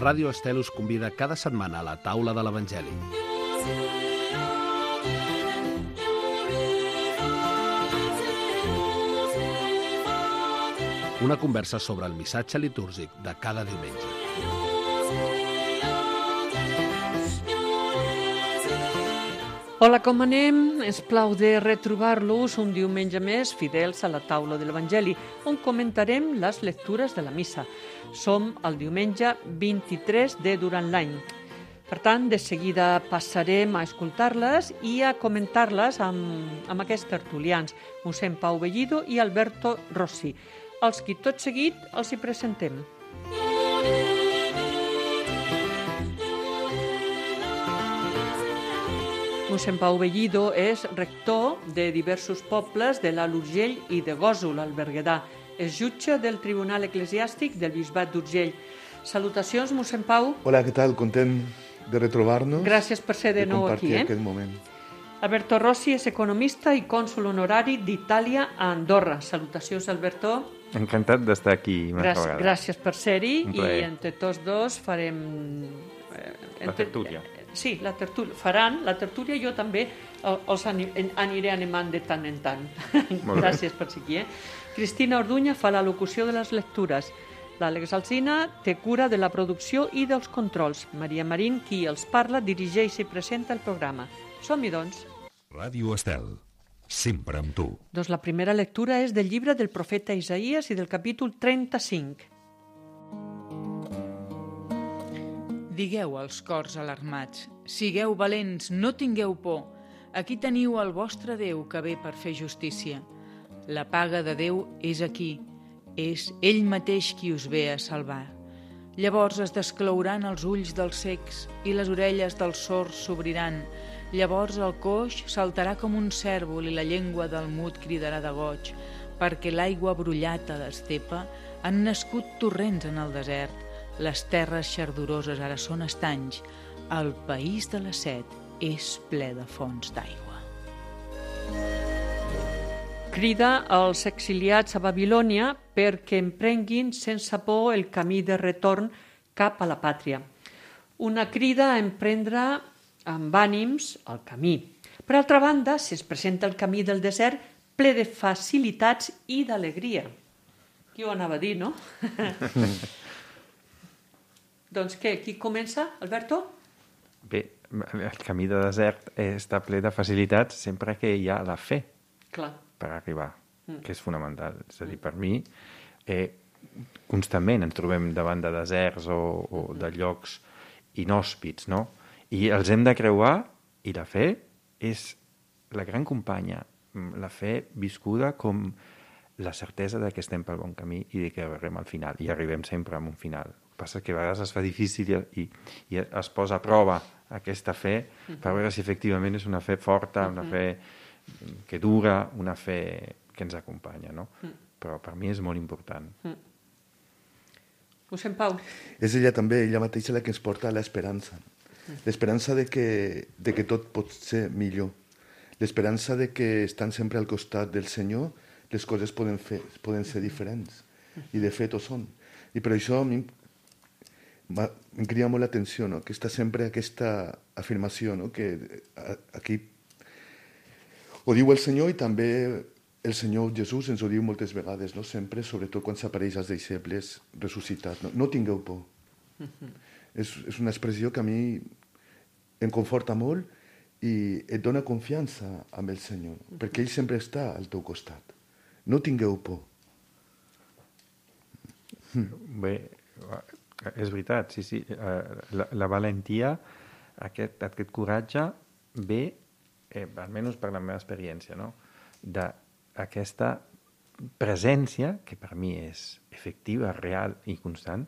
Ràdio Estel us convida cada setmana a la taula de l'Evangeli. Una conversa sobre el missatge litúrgic de cada diumenge. Hola, com anem? Ens plau de retrobar-los un diumenge més fidels a la taula de l'Evangeli, on comentarem les lectures de la missa. Som el diumenge 23 de durant l'any. Per tant, de seguida passarem a escoltar-les i a comentar-les amb aquests tertulians, mossèn Pau Bellido i Alberto Rossi, els qui tot seguit els hi presentem. Mossèn Pau Bellido és rector de diversos pobles de l'Alt Urgell i de Gósol, al Berguedà. És jutge del Tribunal Eclesiàstic del Bisbat d'Urgell. Salutacions, mossèn Pau. Hola, què tal? Content de retrobar-nos. Gràcies per ser de nou aquí. Compartir aquest moment. Alberto Rossi és economista i cònsol honorari d'Itàlia a Andorra. Salutacions, Alberto. Encantat d'estar aquí una vegada. Gràcies per ser-hi i entre tots dos farem... La tertúlia. Sí, la tertúlia. Faran la tertúlia, jo també els aniré animant de tant en tant. Gràcies per ser aquí. Cristina Orduña fa la locució de les lectures. L'Àlex Alsina té cura de la producció i dels controls. Maria Marín, qui els parla, dirigeix i presenta el programa. Som-hi, doncs. Ràdio Estel, sempre amb tu. Doncs la primera lectura és del llibre del profeta Isaïes i del capítol 35. Digueu als cors alarmats, sigueu valents, no tingueu por. Aquí teniu el vostre Déu que ve per fer justícia. La paga de Déu és aquí, és Ell mateix qui us ve a salvar. Llavors es desclouran els ulls dels cecs i les orelles dels sords s'obriran. Llavors el coix saltarà com un cèrvol i la llengua del mut cridarà de goig, perquè l'aigua brullata d'estepa han nascut torrents en el desert. Les terres xardoroses ara són estanys. El país de la set és ple de fonts d'aigua. Crida als exiliats a Babilònia perquè emprenguin sense por el camí de retorn cap a la pàtria. Una crida a emprendre amb ànims el camí. Per altra banda, se'ns presenta el camí del desert ple de facilitats i d'alegria. Qui ho anava a dir, no? Doncs què, qui comença? Alberto? Bé, el camí de desert està ple de facilitats sempre que hi ha la fe. Clar. Per arribar, que és fonamental. És a dir, per mi, constantment ens trobem davant de deserts o de llocs inhòspits, no? I els hem de creuar, i la fe és la gran companya. La fe viscuda com la certesa de que estem pel bon camí i de que arribem al final. I arribem sempre a un final. El que passa que a vegades es fa difícil i es posa a prova aquesta fe per veure si efectivament és una fe forta, una fe que dura, una fe que ens acompanya, no? Però per mi és molt important. Mossèn Pau. És ella també, ella mateixa, la que ens porta a l'esperança. L'esperança de que tot pot ser millor. L'esperança de que estant sempre al costat del Senyor les coses poden ser diferents. I de fet ho són. I per això a mi em crida molt l'atenció, no? Que està sempre aquesta afirmació, no? Que aquí ho diu el Senyor i també el Senyor Jesús ens ho diu moltes vegades, no? Sempre, sobretot quan s'apareix als deixebles ressuscitats. No tingueu por. És una expressió que a mi em conforta molt i et dona confiança amb el Senyor, perquè ell sempre està al teu costat. No tingueu por. Bé, és veritat, sí. La valentia, aquest coratge ve, almenys per la meva experiència, no? D'aquesta presència, que per mi és efectiva, real i constant,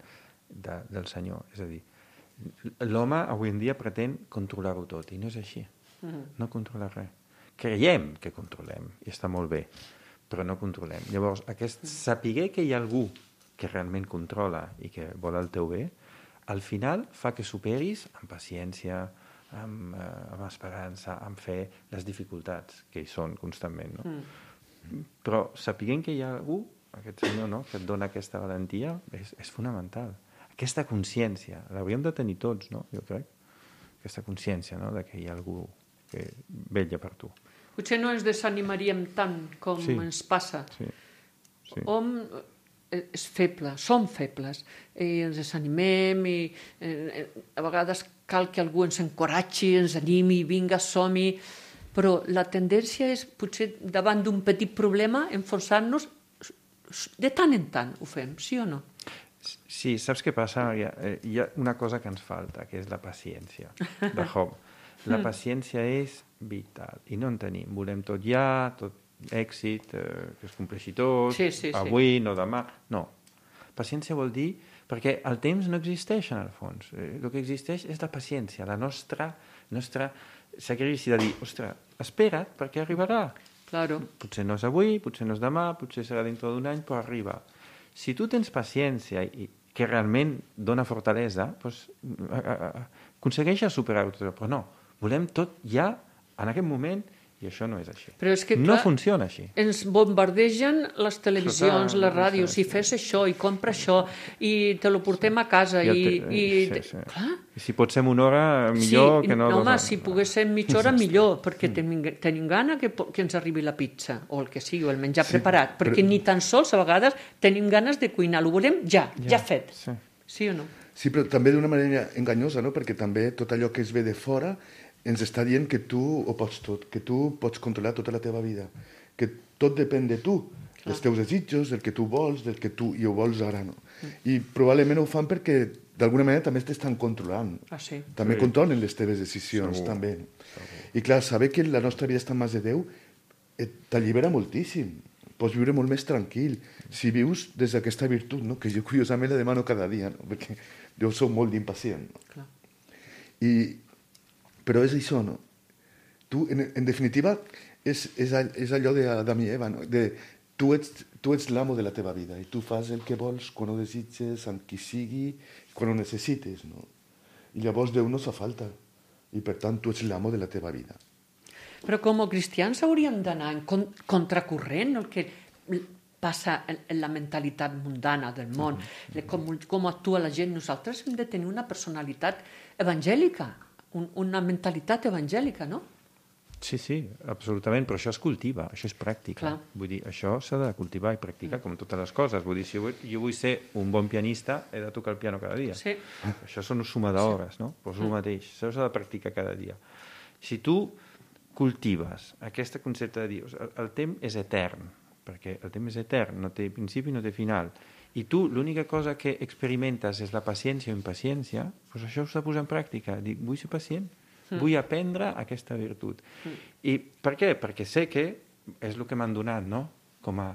del Senyor. És a dir, l'home avui en dia pretén controlar-ho tot, i no és així. No controla res. Creiem que controlem, i està molt bé, però no controlem. Llavors, saber que hi ha algú que realment controla i que vol el teu bé, al final fa que superis amb paciència, amb esperança, amb fe, les dificultats que hi són constantment, no? Però sapiguem que hi ha algú, aquest Senyor, no?, que et dona aquesta valentia, és fonamental. aquesta consciència, l'hauríem de tenir tots, no? Jo crec. Aquesta consciència, no?, de que hi ha algú que vetlla per tu. Potser no ens desanimaríem tant com ens passa. Sí. Hom és feble, som febles, i ens desanimem, i a vegades cal que algú ens encoratgi, ens animi, vinga, som-hi, però la tendència és, potser, davant d'un petit problema, enfonsar-nos, de tant en tant ho fem, sí o no? Sí, saps què passa? Hi ha una cosa que ens falta, que és la paciència de Job. La paciència és vital, i no en tenim. Volem tot ja, tot èxit, que es compleixi tot, avui, no demà. No. Paciència vol dir... Perquè el temps no existeix, en el fons. El que existeix és la paciència, la nostra sacrifici de dir, ostres, espera't, perquè arribarà. Claro. Potser no és avui, potser no és demà, potser serà dintre d'un any, però arriba. Si tu tens paciència i que realment dona fortalesa, doncs, aconsegueixes superar-ho tot. Però no, volem tot ja, en aquest moment, i això no és així. Però és que, no funciona així. Ens bombardegen les televisions, les ràdios, i fes això, i compra això, i te lo portem a casa, i si pot ser una hora, millor que no... No, home, si pogués ser mitja hora, millor, perquè tenim gana que ens arribi la pizza, o el que sigui, o el menjar preparat, perquè ni tan sols, a vegades, tenim ganes de cuinar, ho volem ja fet. Sí o no? Sí, però també d'una manera enganyosa, no? Perquè també tot allò que es ve de fora ens està dient que tu ho pots tot, que tu pots controlar tota la teva vida, que tot depèn de tu, dels teus desitjos, del que tu vols, del que tu ho vols ara, no? I probablement ho fan perquè d'alguna manera també t'estan controlant. També controlen les teves decisions, també. I clar, saber que la nostra vida està en mans de Déu t'allibera moltíssim. Pots viure molt més tranquil si vius des d'aquesta virtut, no? Que jo curiosament la demano cada dia, no? Perquè jo soc molt d'impacient. No? Però és això, no? Tu, en definitiva, és allò d'Adam i Eva, no? Tu ets l'amo de la teva vida i tu fas el que vols, quan ho desitges, amb qui sigui, quan ho necessites, no? I llavors Déu no fa falta. I per tant, tu ets l'amo de la teva vida. Però com a cristians hauríem d'anar en contracorrent el que passa en la mentalitat mundana del món, com actua la gent. Nosaltres hem de tenir una personalitat evangèlica, una mentalitat evangèlica, no? Sí, absolutament, però això es cultiva, això és pràctica. Vull dir, això s'ha de cultivar i practicar, com totes les coses. Vull dir, si jo vull ser un bon pianista, he de tocar el piano cada dia. Això són suma d'hores, no? Doncs el mateix, això s'ha de practicar cada dia. Si tu cultives aquest concepte de dir, el temps és etern, perquè el temps és etern, no té principi, no té final, i tu l'única cosa que experimentes és la paciència o impaciència, doncs això s'ha de posar en pràctica. Dic, vull ser pacient, vull aprendre aquesta virtut. I per què? Perquè sé que és el que m'han donat, no? Com a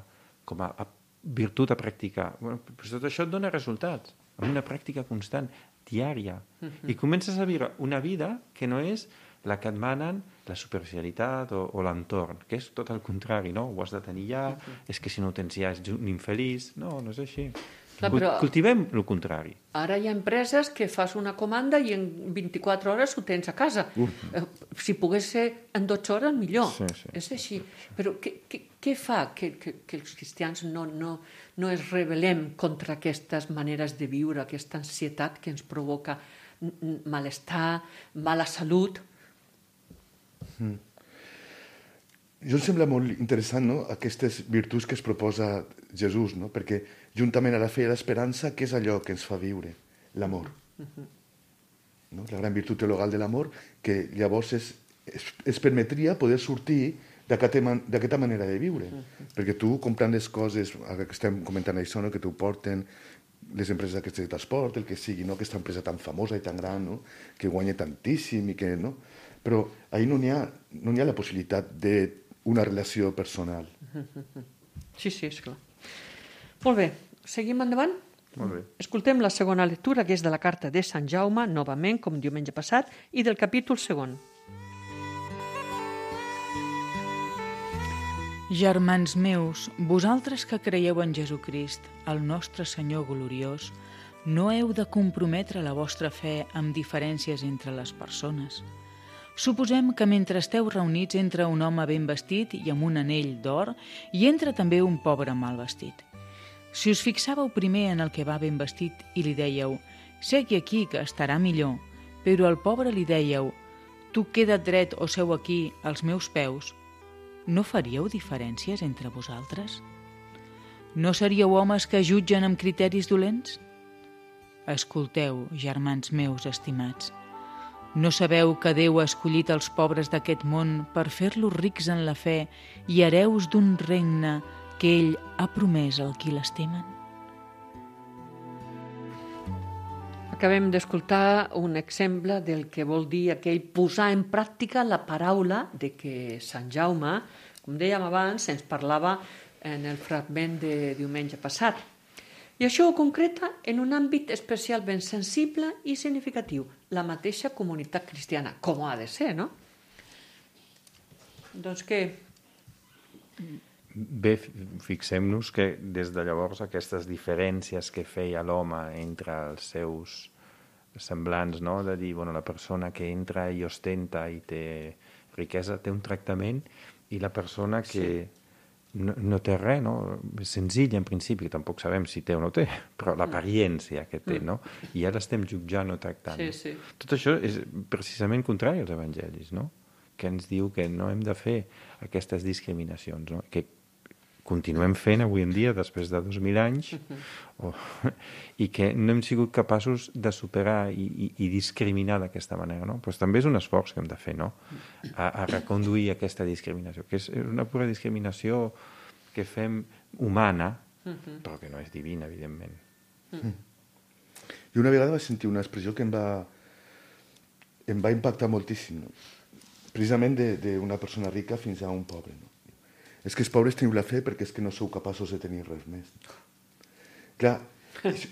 virtut a practicar. Però tot això et dona resultats, amb una pràctica constant, diària. I comences a viure una vida que no és la que et manen la superficialitat o l'entorn, que és tot el contrari, no? Ho has de tenir ja, és que si no ho tens ja ets un infeliç. No és així. Cultivem el contrari. Ara hi ha empreses que fas una comanda i en 24 hores ho tens a casa. Si pogués ser en 12 hores, millor. És així. Però què fa que els cristians no es rebel·lem contra aquestes maneres de viure, aquesta ansietat que ens provoca malestar, mala salut? Jo em sembla molt interessant, no?, aquestes virtuts que es proposa Jesús, no? Perquè juntament a la fe i a l'esperança, què és allò que ens fa viure? L'amor. No? La gran virtut teologal de l'amor, que llavors es permetria poder sortir d'aquesta manera de viure. Perquè tu, comprant les coses, ara que estem comentant això, no?, que t'ho porten les empreses aquestes de transport, el que sigui, no?, aquesta empresa tan famosa i tan gran, no?, que guanya tantíssim i que, no? Però ahir no n'hi ha la possibilitat d'una relació personal. Sí, esclar. Molt bé, seguim endavant? Molt bé. Escoltem la segona lectura, que és de la carta de Sant Jaume, novament, com diumenge passat, i del capítol 2. Germans meus, vosaltres que creieu en Jesucrist, el nostre Senyor gloriós, no heu de comprometre la vostra fe amb diferències entre les persones. Suposem que mentre esteu reunits entra un home ben vestit i amb un anell d'or i entra també un pobre mal vestit. Si us fixàveu primer en el que va ben vestit i li dèieu segui aquí, que estarà millor. Però al pobre li dèieu, tu queda't dret o seu aquí, als meus peus. No faríeu diferències entre vosaltres? No seríeu homes que jutgen amb criteris dolents? Escolteu, germans meus estimats. No sabeu que Déu ha escollit els pobres d'aquest món per fer-los rics en la fe i hereus d'un regne que ell ha promès al qui l'estimen? Acabem d'escoltar un exemple del que vol dir aquell posar en pràctica la paraula de que Sant Jaume, com dèiem abans, ens parlava en el fragment de diumenge passat. I això ho concreta en un àmbit especialment sensible i significatiu, la mateixa comunitat cristiana, com ha de ser, no? Doncs què? Bé, fixem-nos que des de llavors aquestes diferències que feia l'home entre els seus semblants, no? De dir, bueno, la persona que entra i ostenta i té riquesa té un tractament i la persona que no té res, no? És senzill en principi, tampoc sabem si té o no té, però l'apariència que té, no? I ara estem jutjant o tractant. Sí. Tot això és precisament contrari als evangelis, no? Que ens diu que no hem de fer aquestes discriminacions, no? Que continuem fent avui en dia, després de 2.000 anys, i que no hem sigut capaços de superar i discriminar d'aquesta manera, no? Però també és un esforç que hem de fer, no? A reconduir aquesta discriminació, que és una pura discriminació que fem humana, però que no és divina, evidentment. I una vegada vaig sentir una expressió que em va impactar moltíssim, no? Precisament d'una persona rica fins a un pobre, no? És que els pobres teniu la fe perquè és que no sou capaços de tenir res més. Clar,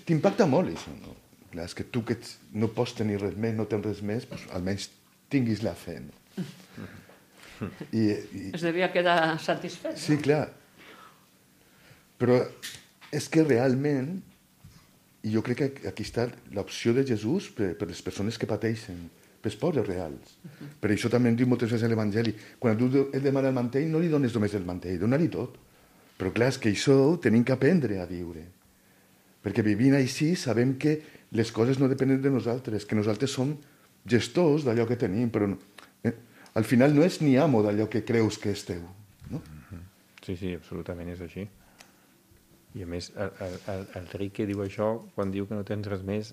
t'impacta molt això, no? Clar, és que tu que no pots tenir res més, no tens res més, doncs almenys tinguis la fe, no? Es devia quedar satisfet. Sí, clar. Però és que realment, i jo crec que aquí està l'opció de Jesús per les persones que pateixen, pels pobres reals. Per això també em diu moltes vegades l'Evangeli, quan tu et demana el mantell, no li dones només el mantell, dona-li tot. Però clar, és que això ho tenim que aprendre a viure. Perquè vivint així sabem que les coses no depenen de nosaltres, que nosaltres som gestors d'allò que tenim, però al final no és ni amo d'allò que creus que és teu. No? Sí, absolutament és així. I a més, el ric que diu això, quan diu que no tens res més,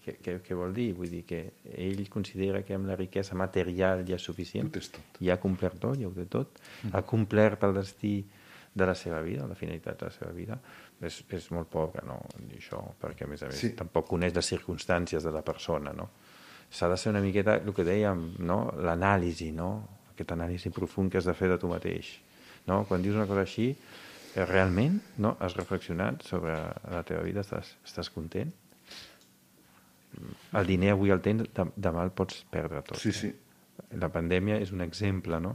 què vol dir? Vull dir que ell considera que amb la riquesa material ja és suficient, ja ha complert tot, ja ho té tot, ha complert el destí de la seva vida, la finalitat de la seva vida. És molt pobre, no? Això, perquè a més tampoc coneix les circumstàncies de la persona, no? S'ha de ser una miqueta, el que dèiem, no? L'anàlisi, no? Aquest anàlisi profund que has de fer de tu mateix, no? Quan dius una cosa així, realment, no? Has reflexionat sobre la teva vida? Estàs content? El diner avui el tens, demà el pots perdre tot. Sí. La pandèmia és un exemple, no?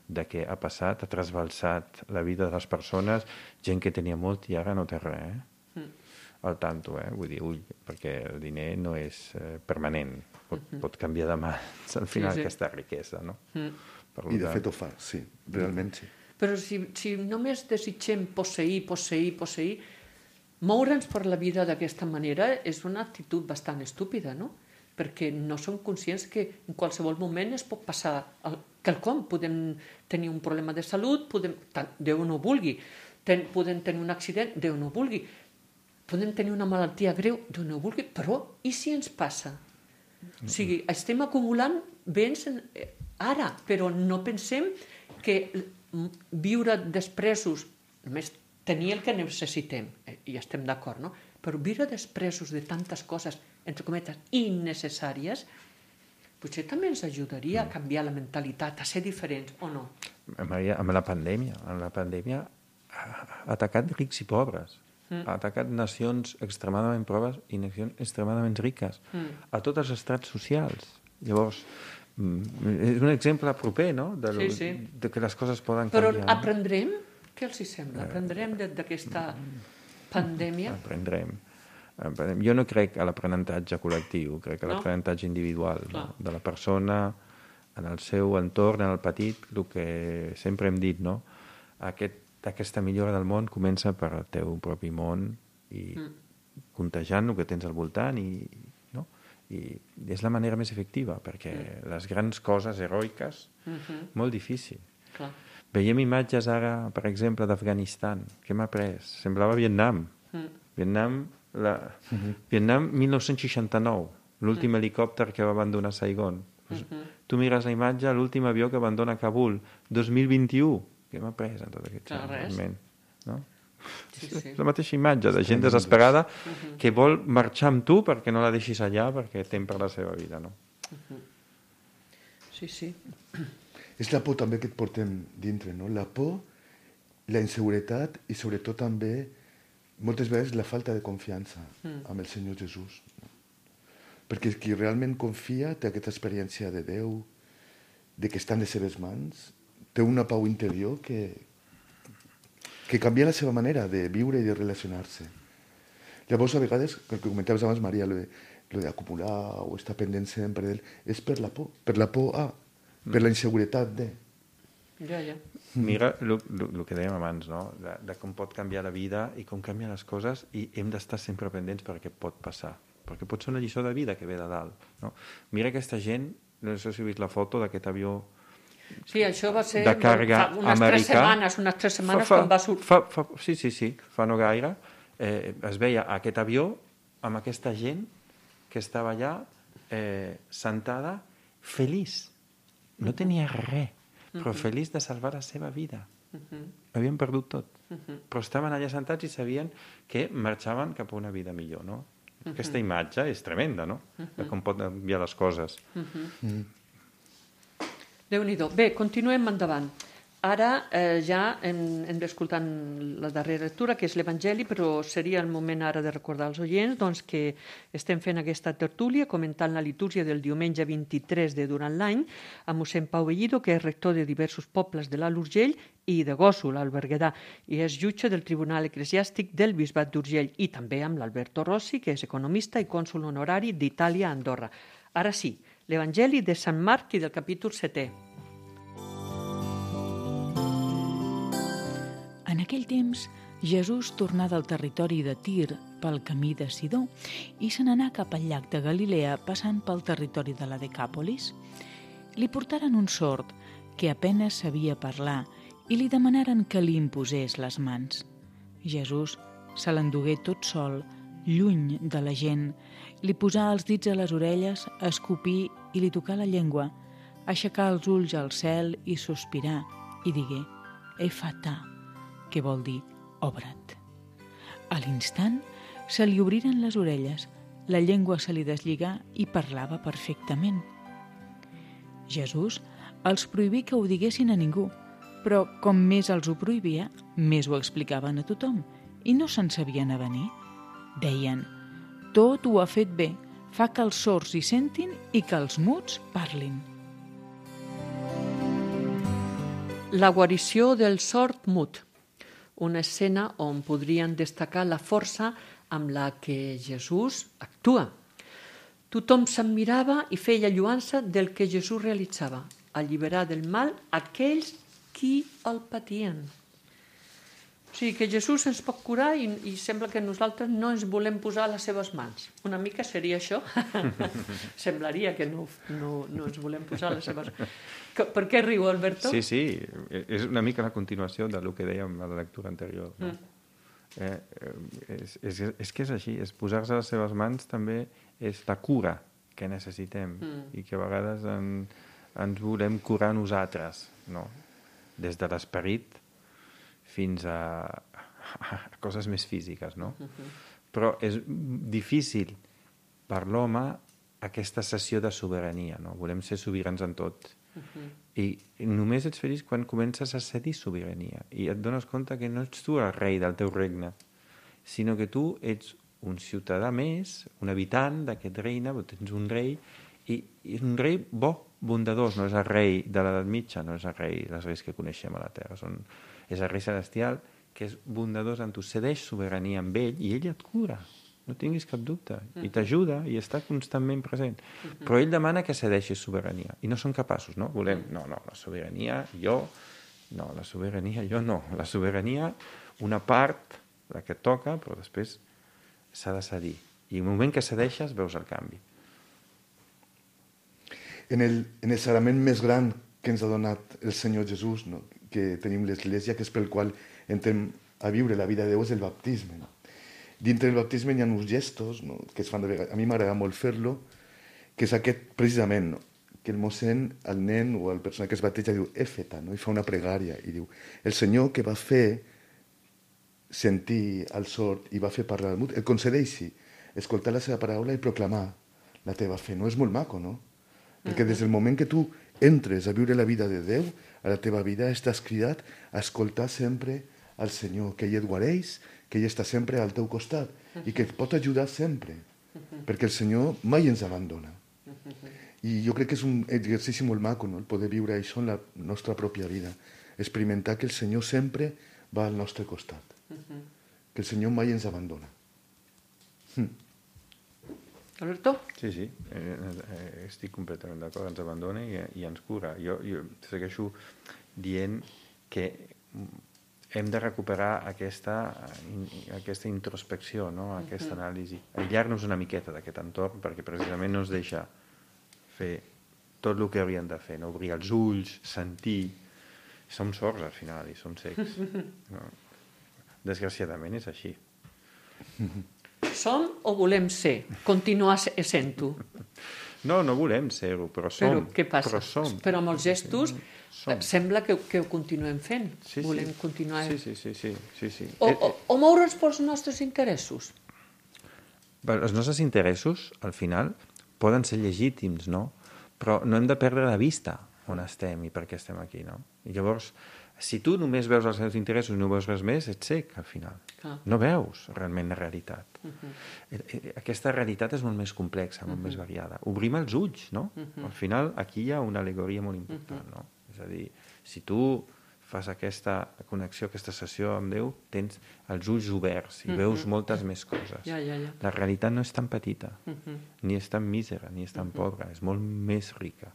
De què ha passat, ha trasbalsat la vida de les persones, gent que tenia molt i ara no té res, al tanto, vull dir, perquè el diner no és permanent, pot canviar de mans al final aquesta riquesa, no? I de fet ho fa, sí, realment sí. Però si només desitgem posseir, moure'ns per la vida d'aquesta manera és una actitud bastant estúpida, no? Perquè no som conscients que en qualsevol moment es pot passar quelcom. Podem tenir un problema de salut, Déu no vulgui, podem tenir un accident, Déu no vulgui, podem tenir una malaltia greu, Déu no vulgui, però i si ens passa? O sigui, estem acumulant béns ara, però no pensem que viure despresos, només tenir el que necessitem, i estem d'acord, no? Però viure despresos de tantes coses, entre cometes, innecessàries, potser també ens ajudaria a canviar la mentalitat, a ser diferents, o no? Maria, amb la pandèmia ha atacat rics i pobres, ha atacat nacions extremadament pobres i nacions extremadament riques, a tots els estrats socials. Llavors, és un exemple proper, no? De que les coses poden canviar. Però aprendrem? Què els sembla? Aprendrem d'aquesta pandèmia? Aprendrem. Jo no crec a l'aprenentatge col·lectiu, crec a l'aprenentatge individual de la persona, en el seu entorn, en el petit, el que sempre hem dit, no? Aquesta millora del món comença per al teu propi món i contagiant el que tens al voltant i és la manera més efectiva, perquè les grans coses heroiques, molt difícil. Clar. Veiem imatges ara, per exemple, d'Afganistan. Què m'ha pres? Semblava Vietnam. Vietnam 1969, l'últim helicòpter que va abandonar Saigon. Tu mires la imatge, l'últim avió que abandona Kabul, 2021. Què m'ha pres en tot aquest moment? No? Sí. És la mateixa imatge de gent desesperada que vol marxar amb tu perquè no la deixis allà perquè tem per la seva vida, no? Sí. És la por també que et portem dintre, no? La por, la inseguretat i sobretot també moltes vegades la falta de confiança amb el Senyor Jesús. No? Perquè qui realment confia té aquesta experiència de Déu, de que està en les seves mans, té una pau interior que canvia la seva manera de viure i de relacionar-se. Llavors, a vegades, el que comentaves abans, Maria, lo d'acumular o estar pendent sempre d'ell, és per la por per la inseguretat de... Ja. Mira el que dèiem abans, no? De com pot canviar la vida i com canvien les coses, i hem d'estar sempre pendents perquè pot passar. Perquè pot ser una lliçó de vida que ve de dalt. No? Mira aquesta gent, no sé si heu vist la foto d'aquest avió Sí, això va ser de càrrega unes americà. Unes tres setmanes quan va sortir. Sí, fa no gaire. Es veia aquest avió amb aquesta gent que estava allà sentada, feliç. No tenia res, però feliç de salvar la seva vida. Havien perdut tot. Però estaven allà sentats i sabien que marxaven cap a una vida millor, no? Aquesta imatge és tremenda, no? De com pot canviar les coses. Déu-n'hi-do. Bé, continuem endavant. Ara ja hem d'escoltar la darrera lectura, que és l'Evangeli, però seria el moment ara de recordar als oients doncs, que estem fent aquesta tertúlia comentant la litúrgia del diumenge 23 de durant l'any amb mossèn Pau Bellido, que és rector de diversos pobles de l'Alt Urgell i de Gósol, al Berguedà, i és jutge del Tribunal Eclesiàstic del Bisbat d'Urgell, i també amb l'Alberto Rossi, que és economista i cònsol honorari d'Itàlia a Andorra. Ara sí, l'Evangeli de Sant Marc i del capítol 7è. En aquell temps, Jesús tornà del territori de Tir pel camí de Sidó i se n'anà cap al llac de Galilea passant pel territori de la Decàpolis. Li portaren un sord que apenes sabia parlar i li demanaren que li imposés les mans. Jesús se l'endugué tot sol, lluny de la gent, li posà els dits a les orelles, escopí i li tocà la llengua, aixecà els ulls al cel i sospirà i digué «Efatà», que vol dir «obre't». A l'instant se li obriren les orelles, la llengua se li deslligà i parlava perfectament. Jesús els prohibí que ho diguessin a ningú, però com més els ho prohibia, més ho explicaven a tothom i no se'n sabien avenir. Deien «Tot ho ha fet bé, fa que els sords hi sentin i que els muts parlin». La guarició del sord mut. Una escena on podrien destacar la força amb la que Jesús actua. Tothom s'admirava i feia lluança del que Jesús realitzava, alliberar del mal aquells qui el patien. O sigui que Jesús ens pot curar i sembla que nosaltres no ens volem posar a les seves mans. Una mica seria això. Semblaria que no ens volem posar a les seves mans. Per què riu, Alberto? Sí, és una mica la continuació del que dèiem a la lectura anterior. No? És que és així, és posar-se a les seves mans també és la cura que necessitem i que a vegades ens volem curar nosaltres, no? Des de l'esperit fins a coses més físiques, no? Però és difícil per l'home aquesta cessió de sobirania, no? Volem ser sobirans en tot. I només ets feliç quan comences a cedir sobirania i et dones compte que no ets tu el rei del teu regne, sinó que tu ets un ciutadà més, un habitant d'aquest regne, tens un rei, i és un rei bo, bondadós, no és el rei de l'edat mitja, no és el rei dels reis que coneixem a la Terra, és el rei celestial que és bondadós en tu, cedeix sobirania amb ell i ell et cura, no tinguis cap dubte, i t'ajuda i està constantment present. Però ell demana que cedeixis sobirania i no són capaços, no? Volem, la sobirania jo no, la sobirania una part, la que toca, però després s'ha de cedir. I el moment que cedeixes veus el canvi. En el sagrament més gran que ens ha donat el Senyor Jesús, no? Que tenim l'Església, que és pel qual entrem a viure la vida de Déu, és el baptisme. No? Dintre del baptisme hi ha uns gestos, no? Que es fan de vegades. A mi m'agrada molt fer-lo, que és aquest precisament, no? Que el mossèn, el nen o el persona que es bateja diu Éfeta, no? I fa una pregària i diu el Senyor que va fer sentir el sord i va fer parlar el mut, el concedeixi escoltar la seva paraula i proclamar la teva fe. No és molt maco, no? Perquè des del moment que tu entres a viure la vida de Déu, a la teva vida estàs cridat a escoltar sempre al Senyor, que ell et guareix, que ell està sempre al teu costat i que et pot ajudar sempre, perquè el Senyor mai ens abandona. I jo crec que és un exercici molt maco, no? El poder viure això en la nostra pròpia vida, experimentar que el Senyor sempre va al nostre costat, que el Senyor mai ens abandona. Alberto? Sí, estic completament d'acord, ens abandona i ens cura. Jo segueixo dient que hem de recuperar aquesta introspecció, no? Aquesta anàlisi, aïllar-nos una miqueta d'aquest entorn perquè precisament no ens deixa fer tot el que hauríem de fer, no? Obrir els ulls, sentir. Som sords al final i som cecs. No? Desgraciadament és així. Som o volem ser? Continuar sent-ho? No volem ser-ho, però som. Però què passa? Però amb els gestos sembla que ho continuem fent. Sí. Volem continuar... Sí. O moure'ns pels nostres interessos? Els nostres interessos, al final, poden ser legítims, no? Però no hem de perdre de vista on estem i per què estem aquí, no? I llavors, si tu només veus els teus interessos i no veus res més, ets cec, al final. No veus realment la realitat. Aquesta realitat és molt més complexa, molt més variada. Obrim els ulls, no? Al final, aquí hi ha una al·legoria molt important, no? És a dir, si tu fas aquesta connexió, aquesta sessió amb Déu, tens els ulls oberts i veus moltes més coses. La realitat no és tan petita, ni és tan mísera, ni és tan pobra, és molt més rica.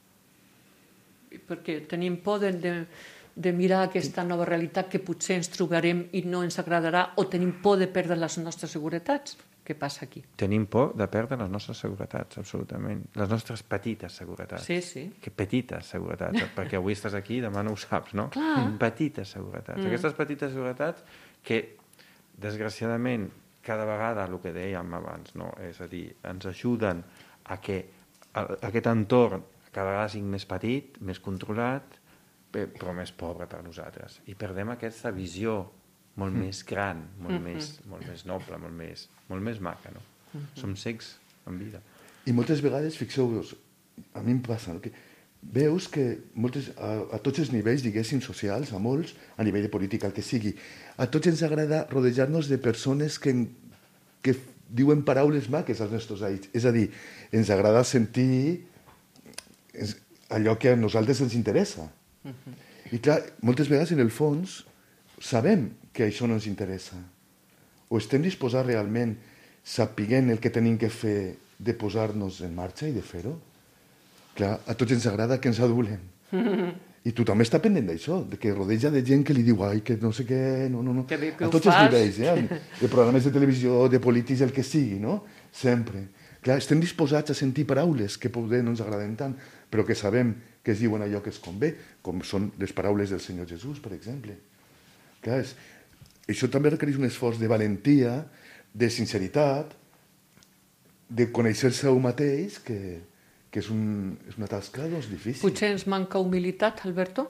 Perquè tenim por de mirar aquesta nova realitat que potser ens trobarem i no ens agradarà, o tenim por de perdre les nostres seguretats? Què passa aquí? Tenim por de perdre les nostres seguretats, absolutament. Les nostres petites seguretats. Sí. Que petites seguretats, perquè avui estàs aquí i demà no ho saps, no? Clar. Petites seguretats. Aquestes petites seguretats que, desgraciadament, cada vegada, el que dèiem abans, no? És a dir, ens ajuden a que aquest entorn cada vegada sigui més petit, més controlat, però més pobre per nosaltres. I perdem aquesta visió molt més gran, molt més noble, molt més maca, no? Som cecs en vida. I moltes vegades, fixeu-vos, a mi em passa, no? Que veus que a tots els nivells, diguéssim, socials, a molts, a nivell de política, el que sigui, a tots ens agrada rodejar-nos de persones que diuen paraules maques als nostres aïts. És a dir, ens agrada sentir allò que a nosaltres ens interessa. I clar, moltes vegades, en el fons, sabem que això no ens interessa. O estem disposats realment, sapiguent el que tenim que fer, de posar-nos en marxa i de fer-ho? Clar, a tots ens agrada que ens adulen. I tothom està pendent d'això, de que rodeja de gent que li diu ai, que no sé què, no. Que a tots els nivells, de programes de televisió, de polítics, el que sigui, no? Sempre. Clar, estem disposats a sentir paraules que poder no ens agraden tant, però que sabem que es diuen allò que es convé, com són les paraules del Senyor Jesús, per exemple. Clar, això també requereix un esforç de valentia, de sinceritat, de conèixer-se a un mateix, que és una tasca difícil. Potser ens manca humilitat, Alberto?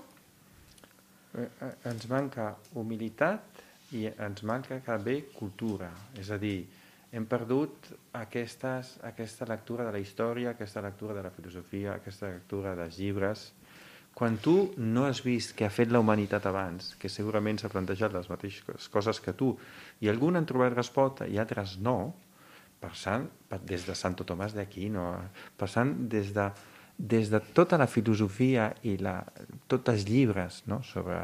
Ens manca humilitat i ens manca també cultura. És a dir, hem perdut aquesta lectura de la història, aquesta lectura de la filosofia, aquesta lectura dels llibres. Quan tu no has vist què ha fet la humanitat abans, que segurament s'ha plantejat les mateixes coses que tu, i alguns han trobat resposta i altres no, passant des de Santo Tomàs d'Aquino, passant des de tota la filosofia i tots els llibres, no?, sobre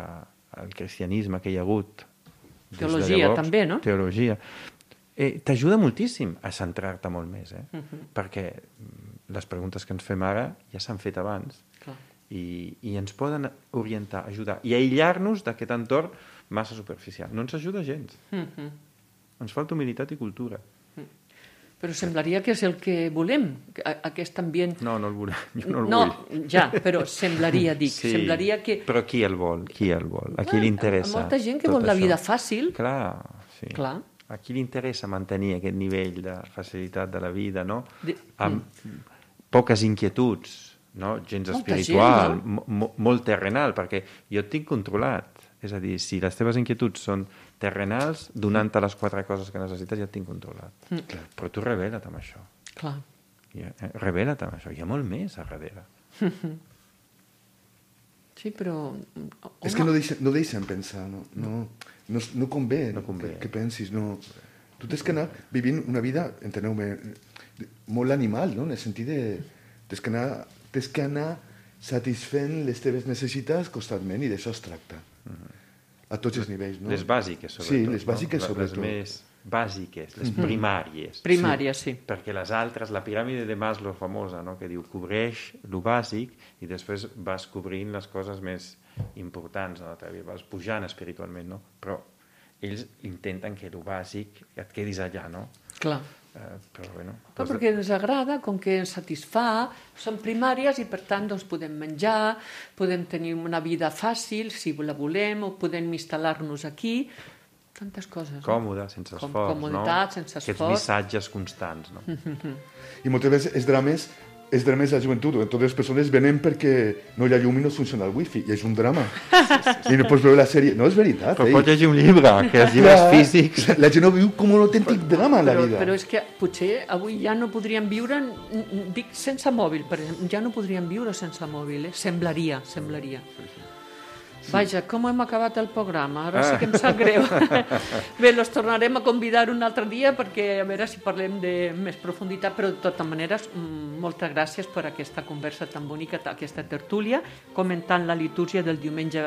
el cristianisme que hi ha hagut. Teologia també, no? Teologia. T'ajuda moltíssim a centrar-te molt més, perquè les preguntes que ens fem ara ja s'han fet abans. I ens poden orientar, ajudar i aïllar-nos d'aquest entorn massa superficial. No ens ajuda gens. Ens falta humilitat i cultura. Però semblaria que és el que volem, aquest ambient. No, no el volem, jo no el vull. No, ja, però semblaria, dic, semblaria que... Però qui el vol? Qui el vol? A qui li interessa? Molta gent que vol la vida fàcil. Clar, sí. Clar. A qui li interessa mantenir aquest nivell de facilitat de la vida, no? Amb poques inquietuds, no? Gens espiritual, gent, no? Molt terrenal, perquè jo et tinc controlat. És a dir, si les teves inquietuds són terrenals, donant-te les 4 coses que necessites, ja et tinc controlat. Però tu revela't amb això. Clar. Revela't amb això. Hi ha molt més a darrere. Sí, però... És que no deixen pensar, no convé que pensis, no. Tu tens que anar vivint una vida, enteneu-me, molt animal, no? En el sentit de... Tens que anar satisfent les teves necessitats constantment, i d'això es tracta. A tots els nivells, no? Les bàsiques, sobretot. Sí, les bàsiques, sobretot. Les més bàsiques, les primàries. Primàries, sí. Perquè les altres, la piràmide de Maslow famosa, no? Que diu, cobreix lo bàsic i després vas cobrint les coses més importants, no? Vas pujant espiritualment, no? Però ells intenten que lo bàsic et quedis allà, no? Clar. Però bueno... Perquè ens agrada, com que ens satisfà, són primàries i per tant doncs, podem menjar, podem tenir una vida fàcil, si la volem, o podem instal·lar-nos aquí, tantes coses. Còmode, sense esforç, comoditat, sense esforç. Aquests missatges constants, no? I moltes vegades els drames de la joventut, totes les persones venen perquè no hi ha llum i no funciona el wifi, i és un drama. I no pots veure la sèrie. No, és veritat. Però pots llegir un llibre, que els llibres físics... La gent no viu com un autèntic drama en la vida. Però és que potser avui ja no podríem viure, dic, sense mòbil, per exemple, ja no podríem viure sense mòbil, Semblaria. Vaja, com hem acabat el programa? Ara sí que em sap greu. Bé, els tornarem a convidar un altre dia perquè a veure si parlem de més profunditat, però de totes maneres, moltes gràcies per aquesta conversa tan bonica, aquesta tertúlia, comentant la litúrgia del diumenge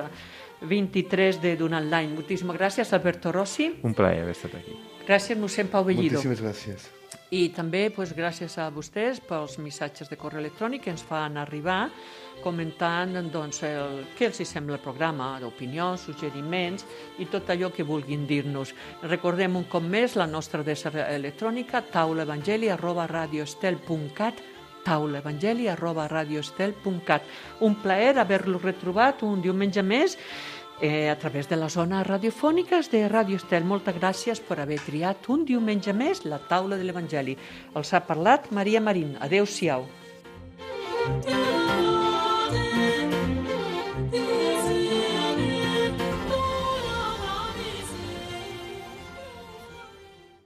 23 de durant l'any. Moltíssimes gràcies, Alberto Rossi. Un plaer haver estat aquí. Gràcies, mossèn Pau Bellido. Moltíssimes gràcies. I també gràcies a vostès pels missatges de correu electrònic que ens fan arribar comentant què els sembla el programa, d'opinions, suggeriments i tot allò que vulguin dir-nos. Recordem un cop més la nostra adreça electrònica taulaevangeli@radioestel.cat taulaevangeli@radioestel.cat. Un plaer haver-lo retrobat un diumenge més a través de les zones radiofòniques de Ràdio Estel. Moltes gràcies per haver triat un diumenge més la taula de l'Evangeli. Els ha parlat Maria Marín. Adéu-siau.